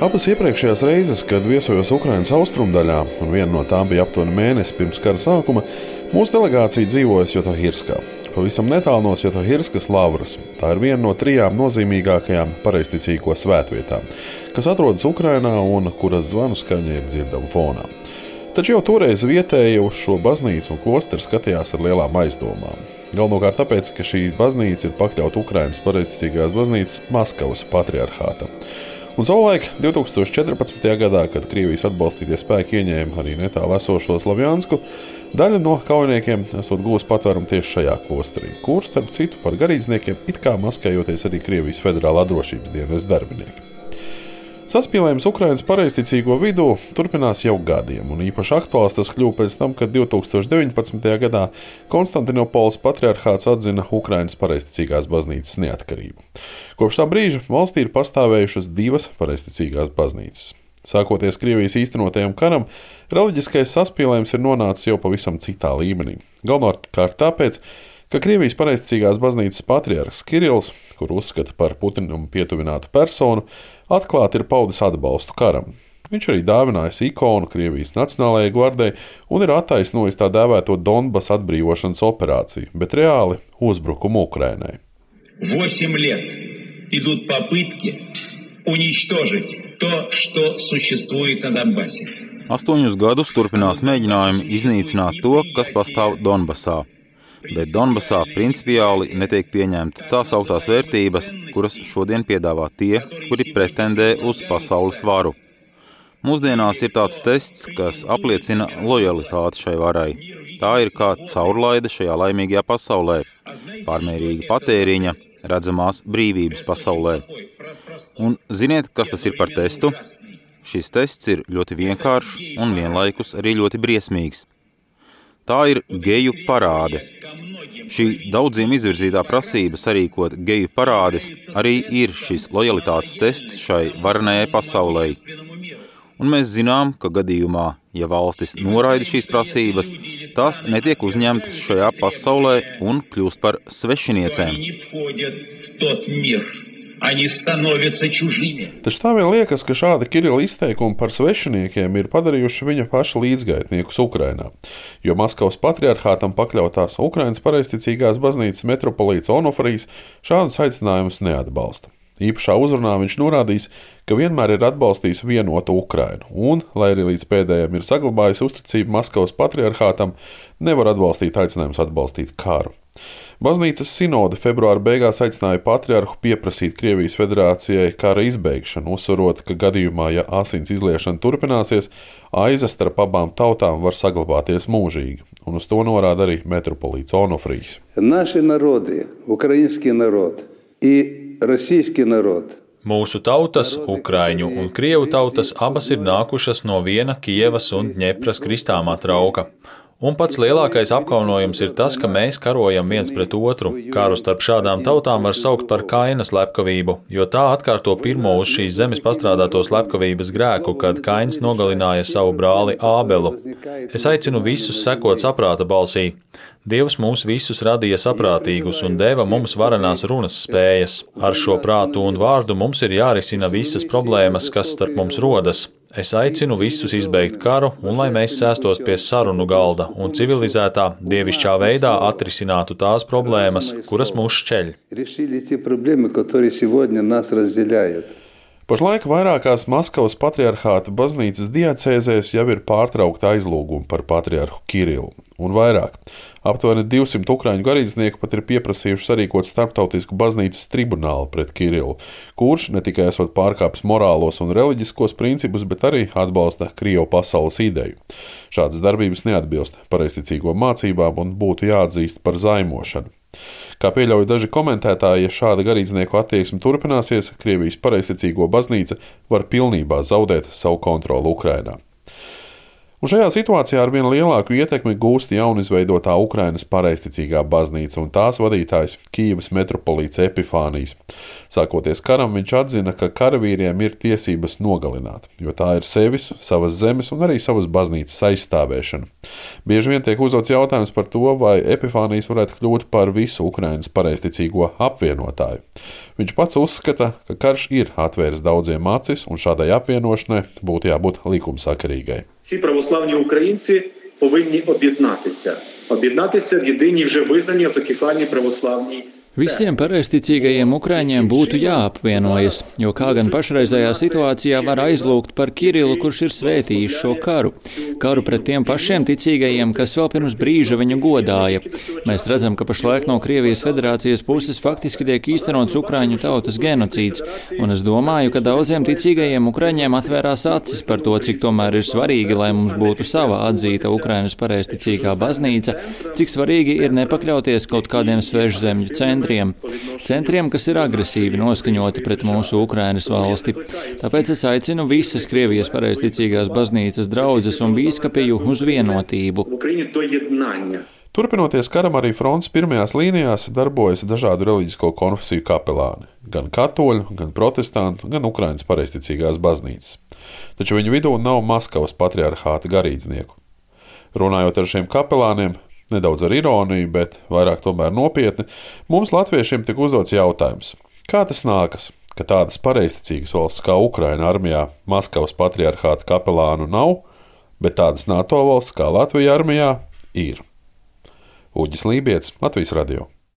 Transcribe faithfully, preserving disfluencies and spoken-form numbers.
Abas iepriekšējās reizes, kad viesojos Ukrainas austrumdaļā, un viena no tām bija aptuveni mēnesi pirms kara sākuma, mūsu delegācija dzīvoja Svjatohirskā, pavisam netālu no Svjatohirskas lavras. Tā ir viena no trijām nozīmīgākajām pareizticīgo svētvietām, kas atrodas Ukrainā un kuras zvanu skaņa ir dzirdama fonā. Taču jau toreiz vietēji uz šo baznīcu un klosteru skatījās ar lielām aizdomām. Galvenokārt tāpēc, ka šī baznīca ir pakļauta Ukrainas pareizticīgās baznīcas Maskavas patriarhātam. Un savulaik divi tūkstoši četrpadsmitajā gadā, kad Krievijas atbalstītie spēki ieņēma arī netālu esošo Slavjansku, daļa no kaujiniekiem esot guvusi patvērumu tieši šajā klosterī, kur, starp citu, par garīdzniekiem it kā maskējoties arī Krievijas federālā drošības dienesta darbinieki. Saspīlējums Ukrainas pareizticīgo vidū turpinās jau gadiem, un īpaši aktuāls tas kļuva pēc tam, kad divi tūkstoši deviņpadsmitajā gadā Konstantinopoles patriarhāts atzina Ukrainas pareizticīgās baznīcas neatkarību. Kopš tā brīža valstī ir pastāvējušas divas pareizticīgās baznīcas. Sākoties Krievijas īstenotajam karam, reliģiskais saspīlējums ir nonācis jau pavisam citā līmenī. Galvenokārt tāpēc, ka Krievijas pareizticīgās baznīcas patriarhs Kirills, kur uzskata par Putinam pietuvinātu personu, atklāti ir paudis atbalstu karam. Viņš arī dāvinājis ikonu Krievijas Nacionālajai gvardei un ir attaisnojis tā dēvēto Donbas atbrīvošanas operāciju, bet reāli uzbrukumu Ukrainai. Восемь лет идут попытки уничтожить то, что существует на Донбассе. Astoņus gadus turpinās mēģinājumi iznīcināt to, kas pastāv Donbasā. Bet Donbasā principiāli netiek pieņemtas tās augtās vērtības, kuras šodien piedāvā tie, kuri pretendē uz pasaules varu. Mūsdienās ir tāds tests, kas apliecina lojalitāti šai varai. Tā ir kā caurlaide šajā laimīgajā pasaulē, pārmērīga patēriņa, redzamās brīvības pasaulē. Un ziniet, kas tas ir par testu? Šis tests ir ļoti vienkāršs un vienlaikus arī ļoti briesmīgs. Tā ir geju parāde. Šī daudziem izvirzītā prasība sarīkot geju parādes arī ir šis lojalitātes tests šai varenajai pasaulē. Un mēs zinām, ka gadījumā, ja valstis noraida šīs prasības, tās netiek uzņemtas šajā pasaulē un kļūst par svešiniecēm. Taču tā vien liekas, ka šādi Kirila izteikumi par svešiniekiem ir padarījuši viņa paša līdzgaitniekus Ukrainā, jo Maskavas patriarhātam pakļautās Ukrainas pareizticīgās baznīcas metropolīts Onofrijs šādus aicinājumus neatbalsta. Īpašā uzrunā viņš norādījis, ka vienmēr ir atbalstījis vienotu Ukrainu un, lai arī līdz pēdējiem ir saglabājis uzticību Maskavas patriarhātam, nevar atbalstīt aicinājumus atbalstīt karu. Baznīcas sinode februāra beigās aicināja patriarhu pieprasīt Krievijas federācijai kara izbeigšanu, uzsverot, ka gadījumā, ja asins izliešana turpināsies, aiza starp abām tautām var saglabāties mūžīgi, un uz to norāda arī metropolīts Onofrijs. Naši narodi, ukraiņski narod i rasīski narod. Mūsu tautas, ukraiņu un krievu tautas, abas ir nākušas no viena Kijevas un Dņepras kristāmā trauka. Un pats lielākais apkaunojums ir tas, ka mēs karojam viens pret otru. Karu starp šādām tautām var saukt par Kaina slepkavību, jo tā atkārto pirmo uz šīs zemes pastrādāto slepkavības grēku, kad Kains nogalināja savu brāli Ābelu. Es aicinu visus sekot saprāta balsī. Dievs mūs visus radīja saprātīgus un deva mums varenās runas spējas. Ar šo prātu un vārdu mums ir jārisina visas problēmas, kas starp mums rodas. Es aicinu visus izbeigt karu un lai mēs sēstos pie sarunu galda un civilizētā, dievišķā veidā atrisinātu tās problēmas, kuras mūs šķeļ. Pašlaik vairākās Maskavas patriarhāta baznīcas diacēzēs jau ir pārtraukta aizlūguma par patriarhu Kirillu. Un vairāk. Aptuveni divsimt ukraiņu garīdznieku pat ir pieprasījuši sarīkot starptautisku baznīcas tribunālu pret Kirillu, kurš ne tikai esot pārkāpis morālos un reliģiskos principus, bet arī atbalsta Krievu pasaules ideju. Šādas darbības neatbilst pareizticīgo mācībām un būtu jāatzīst par zaimošanu. Kā pieļauj daži komentētāji, ja šāda garīdznieku attieksme turpināsies, Krievijas pareizticīgo baznīca var pilnībā zaudēt savu kontroli Ukrainā. Un šajā situācijā ar vien lielāku ietekmi gūst jaunizveidotā Ukrainas pareizticīgā baznīca un tās vadītājs Kijevas metropolīts Epifānijs. Sākoties karam, viņš atzina, ka karavīriem ir tiesības nogalināt, jo tā ir sevis, savas zemes un arī savas baznīcas aizstāvēšana. Bieži vien tiek uzdots jautājums par to, vai Epifānijs varētu kļūt par visu Ukrainas pareizticīgo apvienotāju. Viņš pats uzskata, ka karš ir atvēris daudziem acis, un šādai apvienošanai būtu jābūt likumsakarīgai. Всі православні українці повинні об'єднатися. Об'єднатися в єдиній вже визнані автокефальній православній. Visiem pareizticīgajiem Ukraiņiem būtu jāapvienojas, jo kā gan pašreizējā situācijā var aizlūgt par Kirilu, kurš ir svētījis šo karu. Karu pret tiem pašiem ticīgajiem, kas vēl pirms brīža viņu godāja. Mēs redzam, ka pašlaik no Krievijas federācijas puses faktiski tiek īstenots Ukraiņu tautas genocīds, un es domāju, ka daudziem ticīgajiem Ukraiņiem atvērās acis par to, cik tomēr ir svarīgi, lai mums būtu sava atzīta Ukrainas pareizticīgā baznīca, cik svarīgi ir nepakļauties kaut kādiem svežzemļu centriem. Centriem, kas ir agresīvi noskaņoti pret mūsu Ukrainas valsti. Tāpēc es aicinu visas Krievijas pareizticīgās baznīcas draudzes un bīskapiju uz vienotību. Turpinoties karam, arī frontes pirmajās līnijās darbojas dažādu reliģisko konfesiju kapelāni. Gan katoļu, gan protestantu, gan Ukrainas pareizticīgās baznīcas. Taču viņu vidū nav Maskavas patriarhāta garīdznieku. Runājot ar šiem kapelāniem, nedaudz ar ironiju, bet vairāk tomēr nopietni, mums latviešiem tika uzdots jautājums, kā tas nākas, ka tādas pareizticīgas valsts kā Ukraina armijā Maskavas patriarhāta kapelānu nav, bet tādas NATO valsts kā Latvija armijā ir. Uģis Lībietis, Latvijas radio.